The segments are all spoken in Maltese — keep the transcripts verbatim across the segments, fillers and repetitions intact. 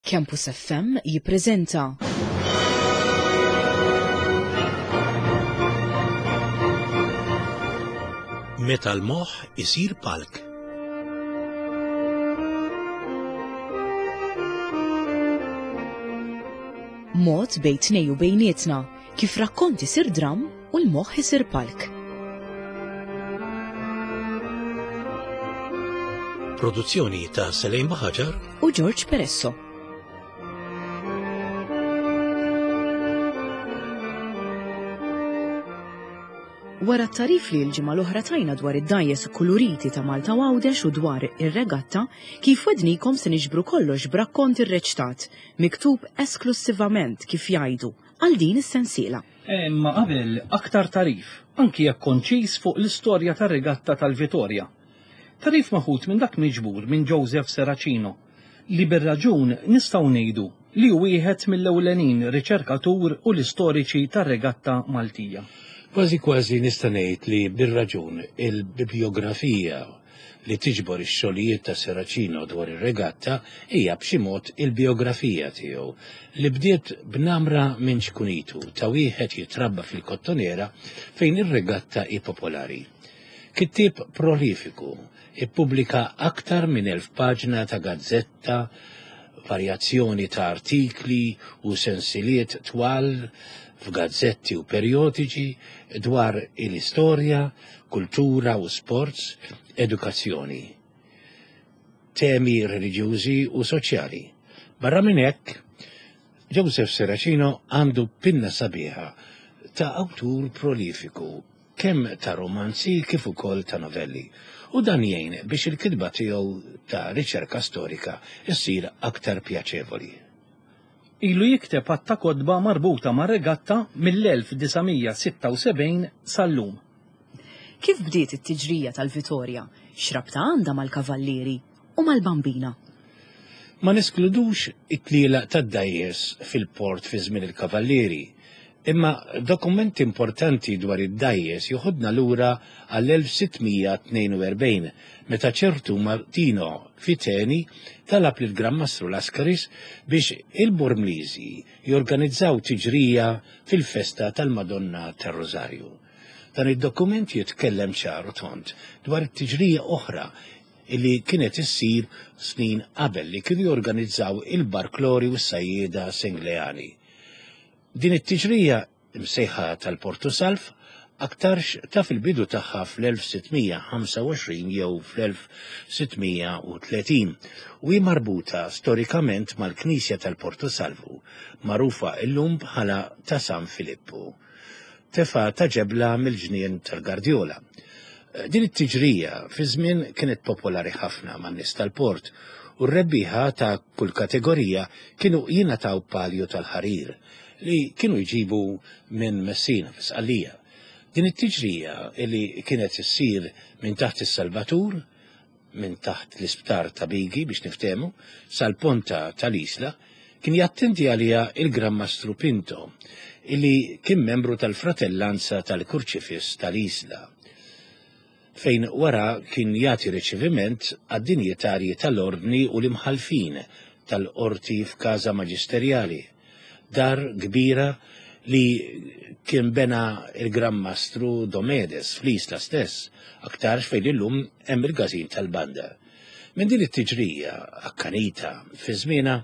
Campus F M jippreżenta Meta l-moħħ isir palk. Mod bejn tnej u bejnietna kif rakkont isir dram u l-moħħ isir palk. Produzzjoni ta' Selejn Baħaġar u George Peresso. Wara t-tarif li l-ġimgħa l-oħra tajna dwar id-dajjes kuluriti ta' Malta u Għawdex u dwar ir-regatta, kif wednikom se niġbru kollox b'rakkont irreċtat, miktub esklusivament kif jgħidu għal din is-sensiela. Imma qabel aktar tarif, anki jekk konċis fuq l-istorja tar-regatta tal-Vitorja. Tarif maħut minn dak miġbur minn Joseph Serracino, li bir-raġun nistgħu ngħidu li hu wieħed mill-ewlenin riċerkatur u l-istoriċi tar-regatta Maltija. Kważi kważi nista' ngħid li bir-raġun il-bibliografija li tiġbor ix-xogħlijiet ta' Serracino dwar ir-regatta hija b'xi mod il-biografija tiegħu li bdiet b'namra minn xkunitu ta' wieħed jitrabba fil-Kottonera fejn ir-regatta hi popolari. Kittieb prolifiku, ippubblika aktar minn elf paġna ta' gazzetta, varjazzjoni ta' artikli u sensiliet twal f'gazzetti u perjodiċi dwar il-istorja, kultura u sports, edukazzjoni, temi reliġjużi u soċjali. Barra minn hekk, Joseph Serracino għandu pinna sabiħa ta' awtur prolifiku, kemm ta' romanzi kif ukoll ta' novelli, u dan jgħin biex il-kitba tiegħu ta' riċerka storika issir aktar pjaċevoli. Ilu jikteb għadd ta' kotba marbuta ma' regatta mill-elf disa' mija sitta u sebgħin sal-lum. Kif bdiet it-tiġrija tal-Vitorja? X'rabta għandha mal-kavallieri u mal-bambina? Ma neskludux it-tlielaq tad-dajjes fil-port fi żmien il-kavallieri, imma dokumenti importanti dwar id-dajjes joħodna lura għall-elf sitt mija tnejn u erbgħin meta ċertu Martino Fiteni talab lil Gran Mastru Lascaris biex il-Bormliżi jorganizzaw tiġrija fil-festa tal-Madonna tar-Rożarju. Dan id-dokument jitkellem ċar u tond dwar it-tiġrija oħra illi kienet issir snin qabel li kienu jorganizzaw il-Barklori u s-Sajjieda Sengleani. Din it-tiġrija msejħa tal-Portu Salv aktarx ta' fil-bidu tagħha fl-elf sitt mija ħamsa u għoxrin jew fl-elf sitt mija u tletin u hi marbuta storikament mal-Knisja tal-Portu Salvu, magħrufa llum bħala ta' San Filippu. Tefa ta' ġebla mill-ġnien tal-Gardjola. Din it-tiġrija fi żmien kienet popolari ħafna man-nies tal-port u r-rebbieħa ta' kull kategorija kienu jingħataw palju tal-ħarir li kienu jġibu minn Messina f'Sqallija. Din it-tiġrija li kienet issir minn taħt is-Salvatur, minn taħt l-isptar ta' Bigi biex niftehmu, sal-ponta tal-Isla, kien jattendi għaliha il-Gran Mastru Pinto, illi kien membru tal-Fratellanza tal-Kurċifiss tal-Isla, fejn wara kien jagħti riċeviment għad-dinjitarji tal-Ordni u l-imħalfin tal-Qorti f'Każa Maġisterjali, dar kbira li kien bena il-Gran Mastru Domedes fl-Isla stess, aktarx fejn illum hemm il-każin tal-banda. Minn din it-tiġrija akkanita fi żmienha,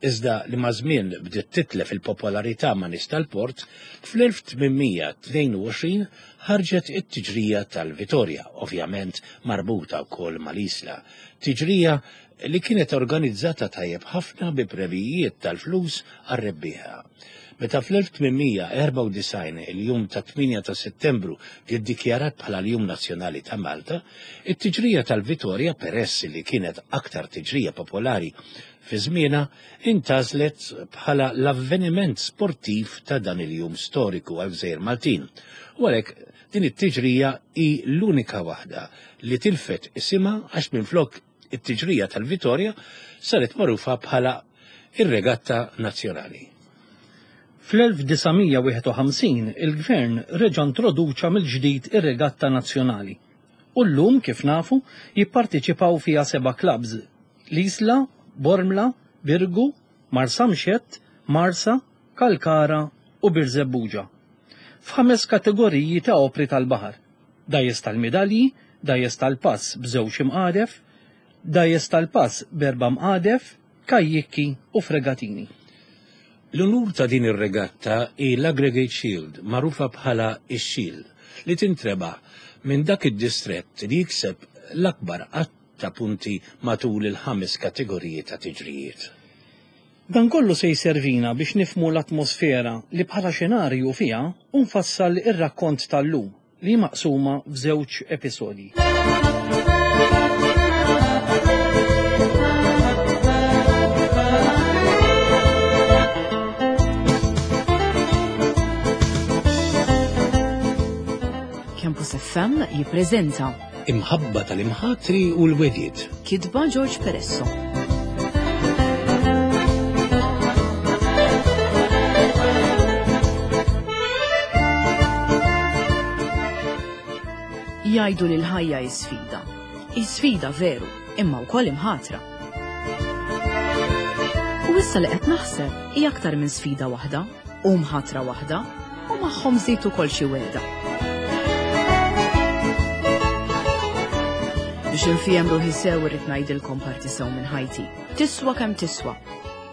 iżda li ma' żmien bdiet titlef il-popolarità ma' nies tal-port, fl-elf tmien mija tnejn u għoxrin ħarġet it-tiġrija tal-Vitorja, ovvjament marbuta wkoll mal-Isla. Tiġrija li kienet organizzata tajjeb ħafna bi premijiet tal-flus għar-rebbieħa. Meta fl-elf tmien mija erbgħa u disgħin il-jum ta' tmienja ta' Settembru ġie ddikjarat bħala l-Jum Nazzjonali ta' Malta, it-tiġrija tal-Vitorja, peress li kienet aktar tiġrija popolari fi żmienha, intażlet bħala l-avveniment sportiv ta' dan il-jum storiku għal Gżejjer Maltin. U għalhekk din it-tiġrija hi l-unika waħda li tilfet isimha għax minflok it-tiġrija tal-Vitorja saret magħrufa bħala ir-Regatta Nazzjonali. Fl-elf disa' mija wieħed u ħamsin il-Gvern reġa' introduċa mill-ġdid ir-Regatta Nazzjonali. U llum, kif nafu, jipparteċipaw fiha seba' clubs: l-Isla, Bormla, Birgu, Marsamxett, Marsa, Kalkara u Birżebbuġa. F'ħames kategoriji ta' opri tal-baħar: dgħajjes tal-midalji, dgħajjes tal-pass b'żewġ imqadef, dgħajjes tal-pass b'erba' mqadef, kajjikki u fregatini. L-unur ta' din ir-regatta hi l-Aggregate Shield, magħrufa bħala ix-Xil, li tintrebaħ minn dak id-distrett li jikseb l-akbar għadd ta' punti matul il-ħames kategoriji ta' tiġrijiet. Dan kollu se jservina biex nifhmu l-atmosfera li bħala xenarju fiha u nfassal ir-rakkont tal-lum li maqsuma f'żewġ episodji. Campus F M jippreżenta Imħabba tal-imħatri u l-wediet. Kitba George Peresso. Jgħidu li l-ħajja hi sfida. Hi sfida veru, imma wkoll imħatra. U issa li qed naħseb hi aktar minn sfida waħda, u mħatra waħda, u magħhom żied ukoll xi wegħda. Biex infiem ruħi sew irrid ngħidilkom parti sew minn ħajti. Tiswa kemm tiswa.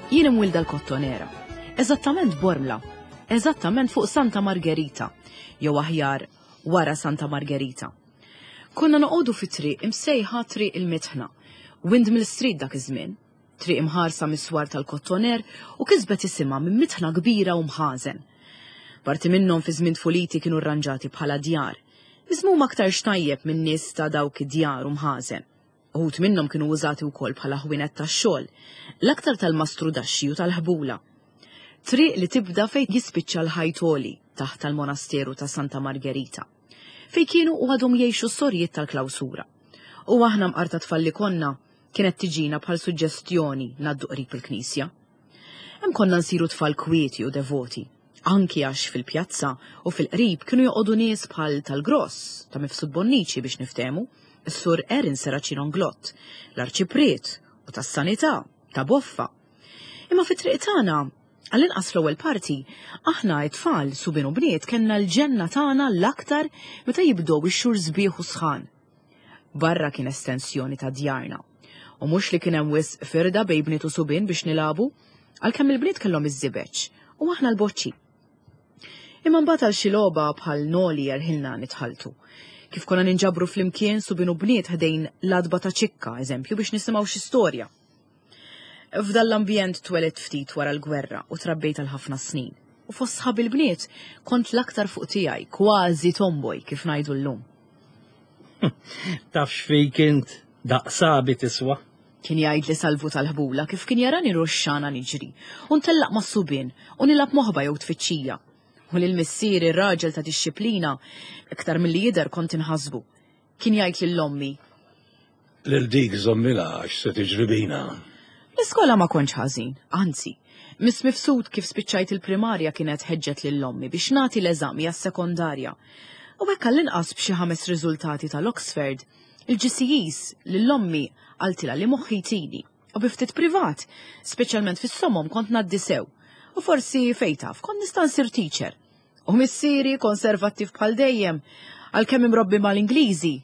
Jien imwilda l-Kottonera. Eżattament Bormla. Eżattament fuq Santa Margherita. Jew aħjar wara Santa Margherita. Konna noqogħdu fi triq imsejħa Triq il-Mitħna, Windmill Street dak iż-żmien, triq imħarsa mis-swar tal-Kottoner u kisbet isimha minn mitħna kbira u mħażen. Parti minnhom fi żmien tfuliti kienu rranġati bħala djar, miżmum aktar xtajjeb minn nies ta' dawk id-djar u mħażen. Uħud minnhom kienu użati wkoll bħala ħwienet tax-xogħol, l-aktar tal-mastrudaxxi u tal-ħbula. Triq li tibda fejn jispiċċa l-ħajt għoli taħt tal-monasteru ta' Santa Margherita, fejn kienu u għadhom jgħixu s-sorijiet tal-klawsura. U aħna mqar ta' tfal li konna kienet tiġina bħal suġġestjoni ngħaddu qrib il-knisja. Hemm konna nsiru tfal kwieti u devoti, anki għax fil-pjazza u fil-qrib kienu joqogħdu nies bħal tal-Gross, ta' Mifsud Bonnici biex niftehmu, is-sur Erin Serracino Inglott, l-Arċipriet u tas-Sanità, ta' Boffa. Imma fit-triq tagħna, għall-inqas fl-ewwel parti, aħna t-tfal subien u bniet kellna l-ġenna tagħna l-aktar meta jibdew ix-xhur sbieħ u sħan. Barra kien estensjoni ta' djarna. U mhux li kien hemm wisq firda bejn bniet u subien biex nilagħbu, għalkemm il-bniet kellhom iż-żibeġ u aħna l-boċċi. Imma mbagħad għal xi logħba bħal noli jerħilna nitħaltu. Kif konna ninġabru flimkien subien u bniet ħdejn l-adba ta' ċikka, eżempju, biex nisimgħu xi storja. F'dan l-ambjent twelidt ftit wara l-gwerra u trabbejt għal ħafna snin. U fost sħab il-bniet kont l-aktar fuq tiegħi, kważi tomboy kif ngħidu llum. Tafx fejn kint daqsabi tiswa. Kien jgħid li salvu tal-ħbula kif kien jarani ruxxana niġri u ntellaq mas-subien u nilgħab moħba jew tfittxija. U lil missieri r-raġel ta' dixxiplina iktar milli jidher kont inħasbu. Kien jgħid lil ommi: Lil dik żommilha għax se tiġri bina. L-iskola ma kontx ħażin, anzi, Miss Mifsud kif spiċċajt il-primarja kienet ħeġġet lil ommi biex nagħti l-eżami għas-sekondarja. U hekk għall-inqas b'xi ħames riżultati tal-Oxford, il-G C Es lil ommi qaltilha li moħħi jtini u bi ftit privat, speċjalment fis-somom kont ngħaddi sew. U forsi fejn taf, kont nista' nsir teacher. U missieri konservattiv bħal dejjem, għalkemm imrobbi mal-Ingliżi.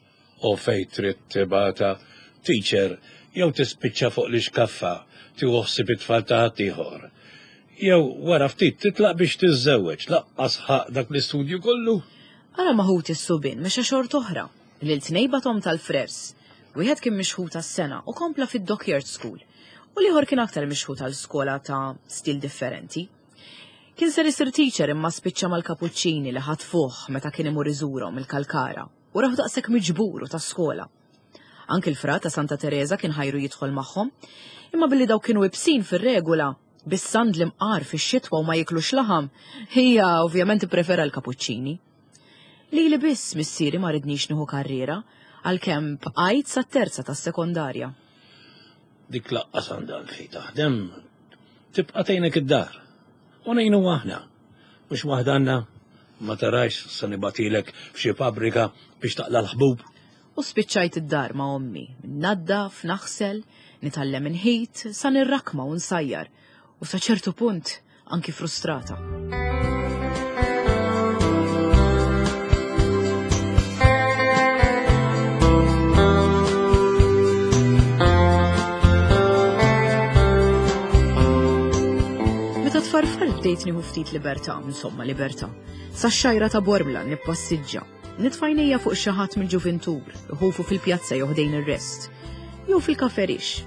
U fejn trid tibata teacher jew tispiċċa fuq l-ixkaffa tieħu ħsieb it-tfal ta' ħaddieħor. Jew wara ftit titlaq biex tiżżewweġ, laqqas ħaq dak l-istudju kollu. Ara ma ħuti s-subien mexa xort oħra, lil tnejn batom tal-frers. Wieħed kien mixħut għas-sena u kompla fid-Dockyard School, u l-ieħor kien aktar mixħut għal skola ta' stil differenti. Kien ser isir teacher imma spiċċa mal-kapuċċini li ħatfuh meta kien imur iżurhom il-Kalkara u raħu daqshekk miġbur u ta' skola. Anki l-fra ta' Santa Teresa kien ħajru jidħol magħhom, imma billi daw kienu ibsin fir-regola, bis-sand l-imqar fix-xitwa u ma jiklux laħam, hija ovvjament ipprefera l-kapuċċini. Lili biss missieri ma ridnix nieħu karriera, għalkemm bqajt sat-terza tas-sekondarja. Dik laqqas għandha għalfejn taħdem, tibqa' tgħinek id-dar. U ngħinu aħna, mhux waħda għandna, ma tarax se nibatilek f'xi fabbrika biex taqla' l-ħbub. U spiċċajt id-dar ma' ommi, naddaf, naħsel, nitgħallem inħit, sa nirrakma u nsajjar, U sa ċertu punt anki frustrata. Meta tfarfar bdejt nieħu ftit libertà, insomma libertà. Sa xajra ta' Bormla nippassiġġa. Nitfajnija fuq xi ħadd mill-ġuvintur, iħufu fil-pjazza jew ħdejn ir-rest, jew fil-kaferix.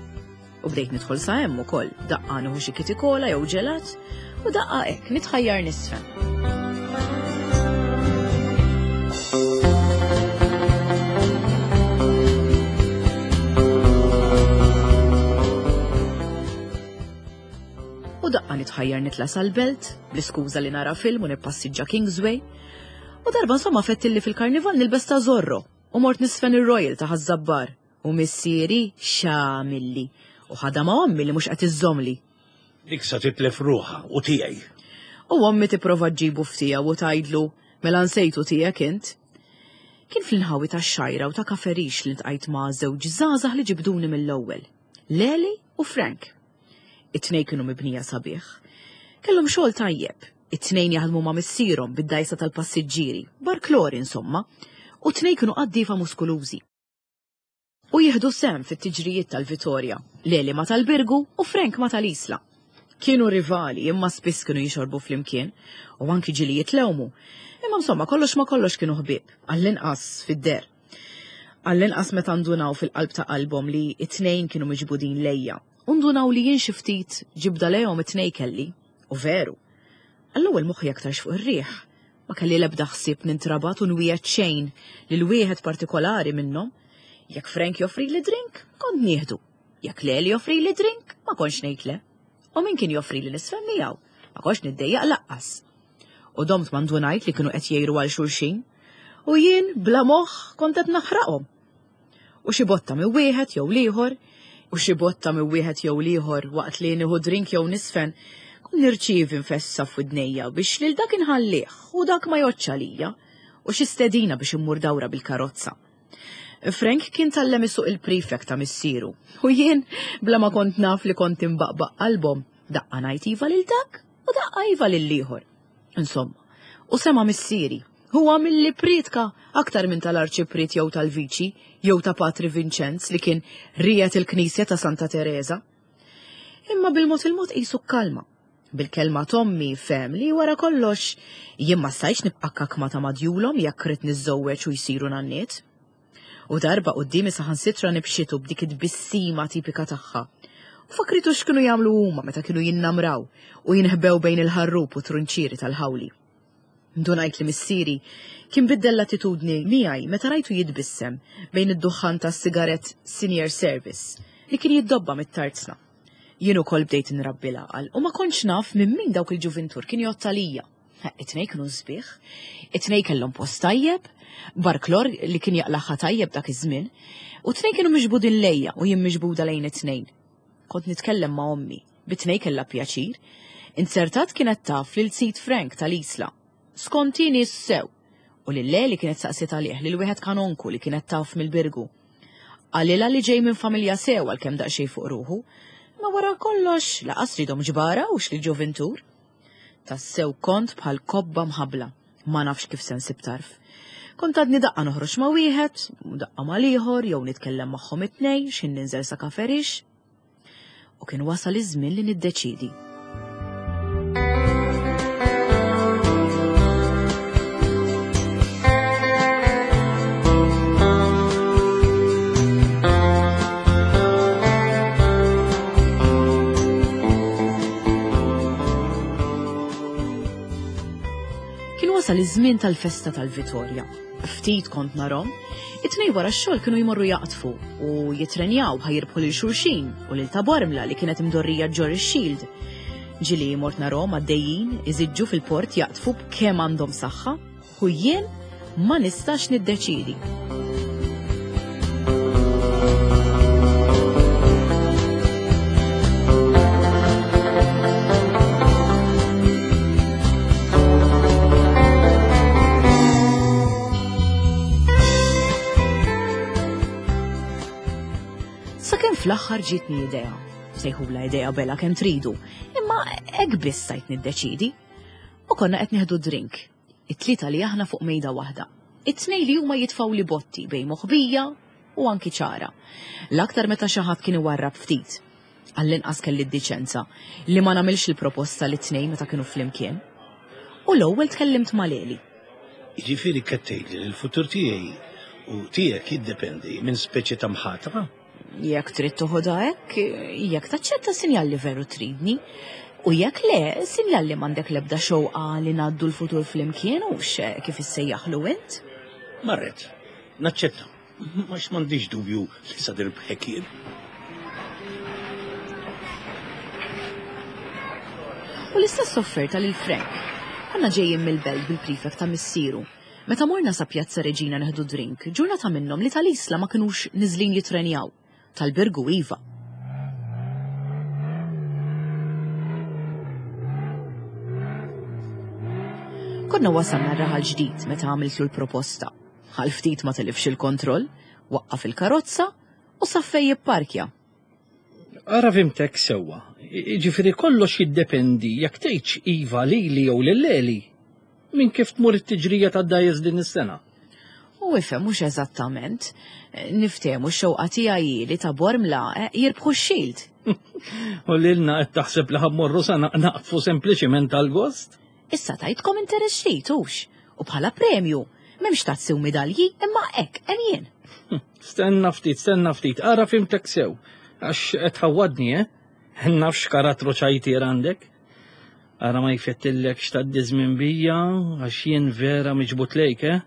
U bdejt nidħol sa hemm ukoll, daqqa nieħu xi kitikola jew ġelat, u daqqa hekk nitħajjar nisfen. U daqqa nitħajjar nitla sal-belt, bl-iskuża li nara film u nippassiġġa Kingsway. U darba insomma fettilli fil-karnival nilbes ta' Zorro u mort nisfen ir-Royal ta' Ħaż-Żabbar. U missieri xamilli u ħadha ma' ommi li mhux qed iżżomli. Dik sa titlef ruħha u tiegħi. U ommi tipprova ġġibu ftija u tgħidlu mela nsejtu tiegħek int. Kien fl-inħawi tax-Xgħajra u ta' Kaferix li ltqajt ma' żewġ żgħażagħ li ġibduni mill-ewwel, Leli u Frank. It-tnejn kienu mibnija sabiħ. Kellhom xogħol tajjeb. It-tnejn jaħdmu ma' missierhom bid-dajsa tal-passiġġieri, barklori insomma, u t-tnejn kienu qaddiefa muskulużi. U jieħdu sehem fit-tiġrijiet tal-Vitorja, Leli ma tal-Birgu u Frank ma tal-Isla. Kienu rivali imma spiss kienu jixorbu flimkien u anki ġili jitlewmu. Imma insomma kollox ma kollox kienu ħbieb, għall-inqas fid-der. Għall-inqas meta ndunaw fil-qalb ta' qalbhom li it-tnejn kienu miġbudin lejja. U ndunaw li jien xi ftit ġibda lejhom it-tnejn kelli. U veru. Għall-ewwel moħħi aktarx fuq ir-riħ. Ma kelli l-ebda ħsieb nintrabat u nwiegħed xejn lil wieħed partikolari minnhom. Jekk Frank joffri li drink, kont nieħdu. Jekk Leli joffri li drink, ma kontx ngħid le. U min kien joffri li nisfen miegħu, ma kontx niddejjaq laqqas. U domt ma ndunajt li kienu qed jgħiru għal xulxin. U jien bla moħħ kont qed naħraqhom. U xi botta minn wieħed jew l-ieħor, u xi botta minn wieħed jew l-ieħor waqt li nieħu drink jew nisfen, kont nirċievi nfessa f'widnejja biex lil dak inħallih u dak ma joċċ għalija, u xi stedina biex immur dawra bil-karozza. Frank kien tallem isuq il-prefect ta' missieru, u jien bla ma kont naf li kont imbaqbaq qalbhom, daqqa ngħid iva lil dak u daqqa iva lil ieħor. Insomma, u sema missieri, huwa milli pritka aktar minn tal-arċipriet jew tal-viċi jew ta' Patri Vincenz li kien rijet il-knisja ta' Santa Teresa. Imma bil-mod il-mod qisu kalma. Bil-kelma tommi fem li wara kollox jien ma stajtx nibqa' kakma ta' madjulhom jekk rid niżżewweġ u jsiru nanniet. U darba quddiemi saħansitra nibxitu b'dik it-tbissima tipika tagħha. U fakritu x'kienu jagħmlu huma meta kienu jinnamraw u jinħbew bejn il-ħarrub u trunċieri tal-ħawli. Ndunajt li missieri kien biddel l-attitudni miegħi meta rajtu jitbissem bejn id-duħħan tas-sigarett Senior Service li kien jiddobba mit-tarzna. Jien ukoll bdejt nrabbi l-għaqal u ma kontx naf minn min dawk il-ġuvintur kien jgħodd għalija. It-tnejn kienu sbieħ, it-tnejn kellhom post tajjeb, barklor li kien jaqlaħħa tajjeb dak iż-żmien, u t-tnejn kienu miġbudin lejja u jien miġbuda lejn it-tnejn. Kont nitkellem ma' ommi, bit-tnejn kellha pjaċir. Inzertat kienet taf lil Sid Frank tal-Isla. Skonti nies sew, u lil Leli kienet saqsiet għalih lil wieħed kanonku li kienet taf mill-Birgu. Qalilha li ġej minn familja sew għalkemm daqsxejn fuq ruħu, ma wara kollox laqas ridhom ġbara u xli ġuvintur. Tassew kont bħal kobba mħabla, ma nafx kif se nsib tarf. Kont għadni daqqa noħroġ ma' wieħed, u daqqa ma' l-ieħor, jew nitkellem magħhom it-tnejn, x'in ninżel sa kaferix. U kien wasal iż-żmien li niddeċiedi. Kien wasal iż-żmien tal-festa tal-Vitorja. Ftit kont narhom, it-tnejn wara x-xogħol kienu jmorru jaqtfu u jitrenjaw ħajirbħu lil xulxin u lil ta' Bormla li kienet imdorrija ġor ix-Shield. Ġili mort narhom għaddejjin iżiġġu fil-port jaqtfu b'kemm għandhom saħħa u jien ma nistax niddeċiedi. Sakemm fl-aħħar ġietni idea. Sejħula idea bella kemm tridu, imma hekk biss stajt niddeċidi. U konna qed nieħdu drink. It-tlieta li aħna fuq mejda waħda. It-tnejn li huma jitfgħu li botti bejn moħbija u anki ċara. L-aktar meta xi ħadd kien iwarrab ftit. Għall-inqas kelli d-diċenza li ma nagħmilx il-proposta li tnejn meta kienu flimkien. U l-ewwel tkellimt ma' Leli. Jiġifieri qed tgħidli li l-futur tiegħi u tiegħek jiddependi minn speċi ta' mħatra? Jekk trid toħodha hekk, jekk taċċetta sinjal li veru tridni. U jekk le, sinjal li m'għandek l-ebda xewqa li ngħaddu l-futur flimkien u kif issejjaħlu int. Marret, naċċetta. Għax m'għandix dubju li sa nirbħek jien. U l-istess offerta lil Frank. Konna ġejjin mill-belt bil-prefect ta' missieru. Meta morna sa Pjazza Reġina neħdu drink, ġurnata minnhom li tal-Isla ma kinux niżlin jitrenjaw. Tal-Birgu iva. Konna wasalna r-raħal ġdid meta għamiltlu l-proposta. Għal ftit ma tilifx il-kontroll, waqqaf il-karozza u sa fejn jipparkja. Ara fhimtek sewwa. Ġifieri kollox jiddependi jekk tgħidx iva lili jew lil Leli minn kif tmur it-tiġrija tad-dgħajjes din is-sena. U ifhem mhux eżattament. Niftehmu x-xewqa tiegħi li ta' Bormla eh, jirbħu x-shield. U lilna qed taħseb li ħa mmorru sa naqtfu sempliċiment għal-gost? Issa tajtkom interess ġdid hux. U bħala premju, m'hemmx tazzi u midalji, imma hekk hemm jien. Stenna ftit, stenna ftit, ara fhimtek sew. Għax qed tħawwadni, eh? Naf x'karattru ċajtier għandek. Ara ma jfettillek x'tgħaddi żmien bija, għax jien vera miġbut lejk, eh?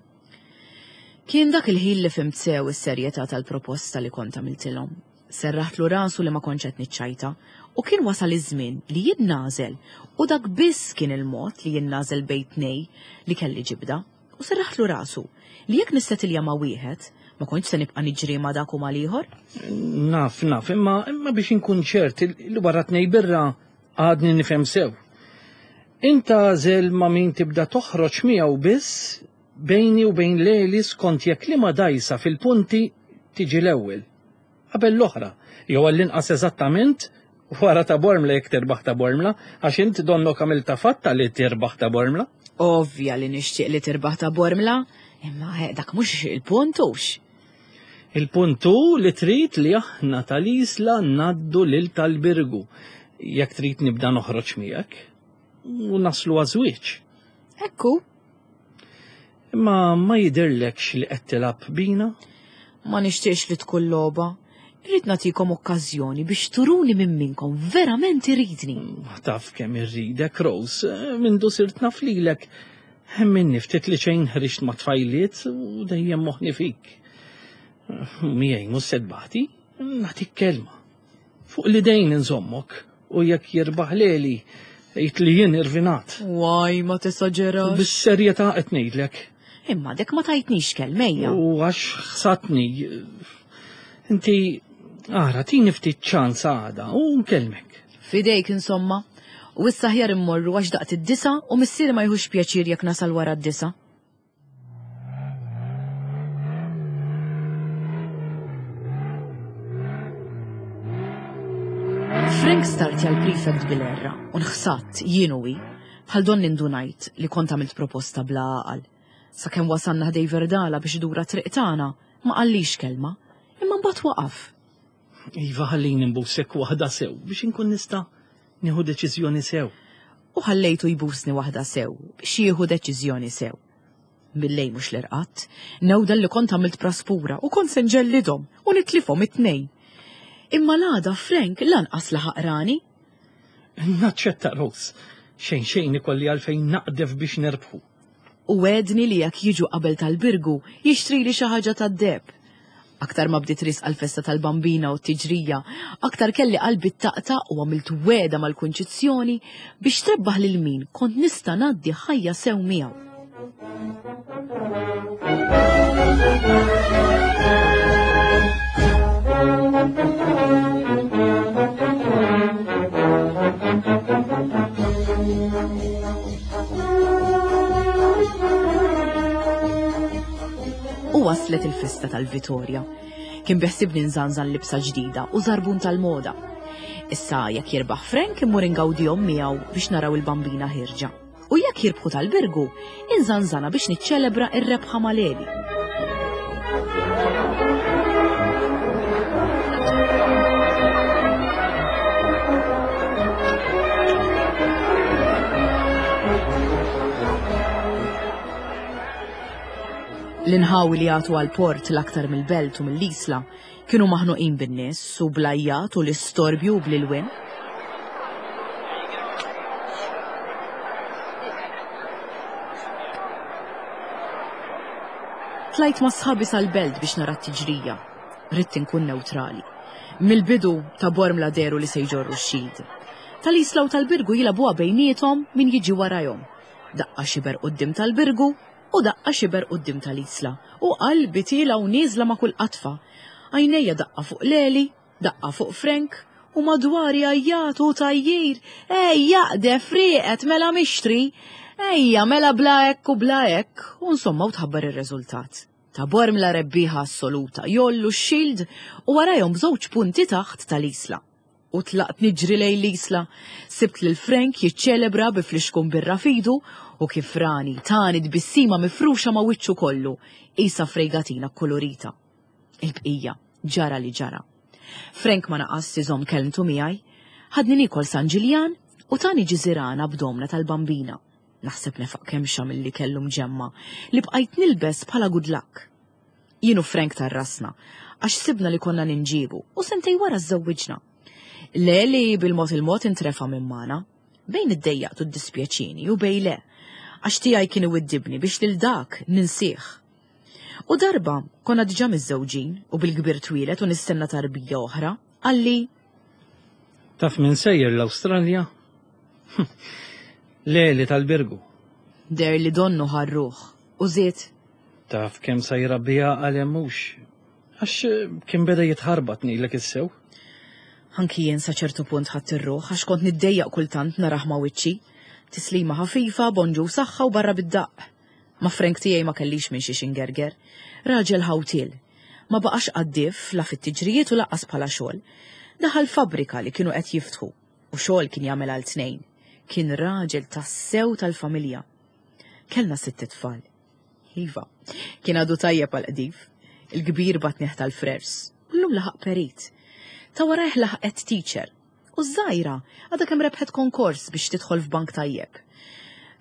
Kien dak il-ħin li fhimt sew is-serjetà tal-proposta li kont għamiltilhom. Serraħtlu rasu li ma kontx qed niċċajta u kien wasal iż-żmien li jien nagħżel u dak biss kien il-mod li jien nagħżel bejn tnej li kelli ġibda. U serraħtlu rasu li jekk nissetilja ma' wieħed ma kontx se nibqa' niġri ma' dak u mal-ieħor. Naf, naf, imma imma biex inkun ċert li wara tnej birra għadni nifhem sew. Inta għażel ma' min tibda toħroġ miegħu biss bejni u bejn Leli skont jekk liema dgħajsa fil-punti tiġi l-ewwel. Qabel l-oħra, jew għall-inqas eżattament wara ta' Bormla jekk terbaħ ta' Bormla, għax int donnok għamilta fatta li terbaħ ta' Bormla. Ovvja li nixtieq li terbaħ ta' Bormla, imma eh, dak mhux il-punt hux. Il-punt hu li trid li aħna tal-Isla ngħaddu lil tal-Birgu. Jekk trid nibda noħroġ miegħek u naslu għaż-żwieġ. Ekku, Imma ma jidirlekx li qed tilgħab bina? ma nixtieqx li tkun logħba. Irrid nagħtikom okkażjoni biex turuni minn minkom verament iridni. Taf kemm irridek, Rose, mindu sirt naf lilek. Minni ftit li xejn ħriġt ma' tfajliet u dejjem moħħni fik. Miegħi mhux se tbati, nagħtik kelma. Fuq l-idejn inżommok u jekk jirbaħ Leli, għid li jien irvinat. Waj, ma tesaġerax. Bis-serjetà qed ngħidlek. Imma dek ma tajtnix kelmejja. U għax ħsatni. Inti, ara, tini ftit ċans għada u nkellmek. Fidejk insomma. U issa aħjar immorru għax daqt id-disa u missieri ma jħux pjaċir jekk nasal wara d-disa. Frank startja l-prefect bil-erra u nħsatt jien u hi bħal donni ndunajt li kont għamilt proposta bla għaqal. Sakemm wasalna ħdej Verdala biex idura triq tagħna, ma qallix kelma, imma mbagħad waqaf. Iva ħallini nbusek waħda sew biex inkun nista' nieħu deċiżjoni sew. U ħallejtu jbusni waħda sew biex jieħu deċiżjoni sew. Billejl mhux l-irqatt, newda li kont għamilt praspura u kont se nġellidhom u nitlifhom it-tnejn. Imma l-għada Frank lanqas laħaq rani. Naċċetta Rose, xejn xejn ikolli għalfejn naqdef biex nerbħu. U wegħedni li jekk jiġu qabel tal-Birgu jixtrili xi ħaġa tad-deheb. Aktar ma bdiet risqa l-festa tal-Bambina u t-tiġrija, aktar kelli qalbi taqta' u għamilt wegħda mal-Kunċizzjoni biex trebbaħ lil min kont nista' ngħaddi ħajja sew miegħu. U waslet il-festa tal-Vitorja. Kien beħsibni nżanżan libsa ġdida u żarbun tal-moda. Issa jekk jirbaħ Frank immur ingawdihom miegħu biex naraw il-bambina ħirġa. U jekk jirbħu tal-Birgu, inżanżana biex niċċelebra ir-rebħa mal-Eli. L-inħawi li jagħtu għall-port l-aktar mill-belt u mill-Isla kienu maħnuqin bin-nies u bl-għajjat u l-istorbju u bl-ilwien. Tlajt ma' sħabi sal-belt biex nara t-tiġrija. Ridt inkun newtrali. Mill-bidu ta' Bormla dehru li se jġorru x-shield. Tal-Isla u tal-Birgu jilagħbuha bejniethom min jiġi warajhom. Daqqa xiber quddiem tal-Birgu u daqqa xiber quddiem tal-Isla. U qalbi tiela u nieżla ma' kull qatfa. Għajnejja daqqa fuq Leli, daqqa fuq Frank, u madwari għajjat u tajjir. Ejja, jaqdef, rieqet, mela mixtri. Ejja, mela bla hekk u bla hekk. U insomma u tħabbar ir-riżultat. Ta' Bormla rebbieħa assoluta, jollu x-shield u warajhom b'żewġ punti taħt tal-Isla. U tlaqt niġri lejn l-Isla, sibt lil Frank jiċċelebra bi flixkun birra fidu u kif rani tani tbissima mifruxa ma' wiċċu kollu, qisha frejgatina kkolorita. Il-bqija ġara li ġara. Frank ma naqas iżomm kelmtu miegħi, ħadni niekol San Ġiljan u tani ġiżirana b'domna tal-bambina. Naħseb nefaq kemxa milli kellu mġemma li bqajt nilbes bħala good luck. Jien u Frank tarrasna, għax sibna li konna ninġibu u sentej wara żżewwiġna. Leli bil-mod il-mod intrefa minn magħna, bejn iddejjaqt u ddispjaċini u bejn le, għax tiegħi kien iwiddibni biex lil dak ninsih. U darba konna diġà miżżewġin u bil-kbir twieled u nistenna tarbija oħra, qalli: Taf min sejjer l-Awstralja? Leli tal-Birgu. Der li donnu ħarruħ u żied: Taf kemm sa jrabbija għal hemm mhux, għax kien beda jitħarbat ngħidlek issew. Anki jien sa ċertu punt ħadt ir-ruħ għax kont niddejjaq kultant narah ma' wiċċi. Tislima ħafifa, bonġu saħħa u barra bid-daqq. Ma' Frank tiegħi ma kellix minn xiex ingerger. Raġel ħawtiel. Ma baqax qaddif la fit-tiġrijiet u laqqas bħala xogħol. Daħal fabbrika li kienu qed jiftħu u xogħol kien jagħmel għal tnejn. Kien raġel tassew tal-familja. Kellna sitt itfal. Iva, kien għadu tajjeb għal qdif. Il-kbir batniħ tal-frers. Llum laħaq perit. Ta' warajh laħqet teacher. U żgħira għadha kemm rebħet konkors biex tidħol f'bank tajjeb.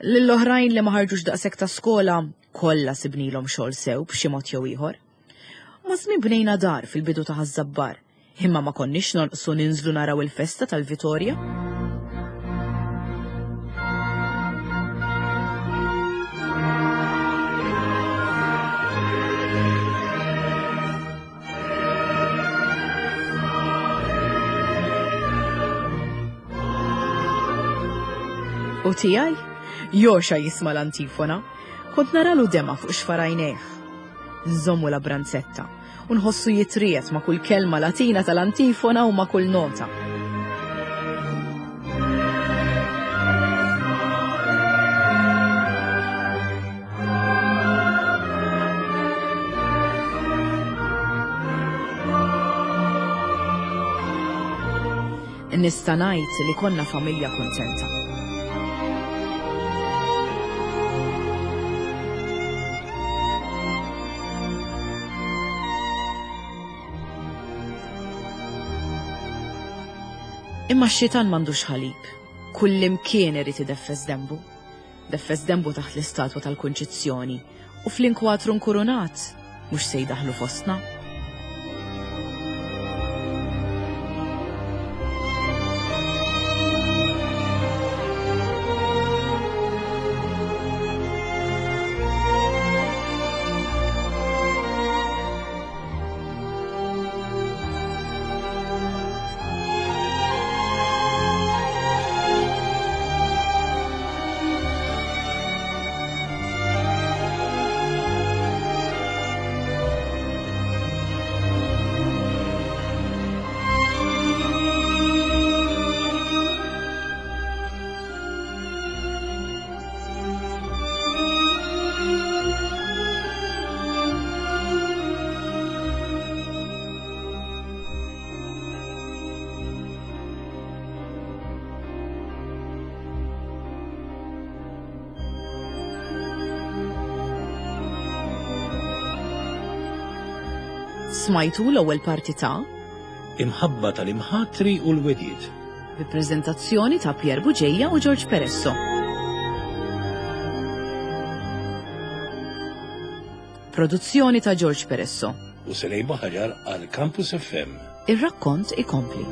Lill-oħrajn li ma ħarġux daqshekk ta' skola, kollha sibnilhom xogħol sew b'xi mod jew ieħor. Ma' żmien bnejna dar fil-bidu ta' Ħaż-Żabbar, imma ma konniex nonqsu ninżlu naraw il-festa tal-Vitorja. U tiegħi, joxa jisma' l-antifona, kont naralu dema fuq xfarajnejh. Nżommu la branzetta u nħossu jitriet ma' kull kelma latina tal-antifona u ma' kull nota. Nista' ngħid li konna familja kuntenta. Imma x-xitan m'għandux ħalib. Kullimkien irid ideffes dembu. Deffes dembu taħt l-istatwa tal-Kunċizzjoni u fl-inkwatru nkurunat mhux se jdaħlu fostna. Smajtu l-ewwel parti ta' Imħabba tal-imħatri u l-wegħdiet. Bi preżentazzjoni ta' Pierre Bugeja u George Peresso. Produzzjoni ta' George Peresso. U Selej Buhaġar għal Campus F M. Ir-rakkont ikompli.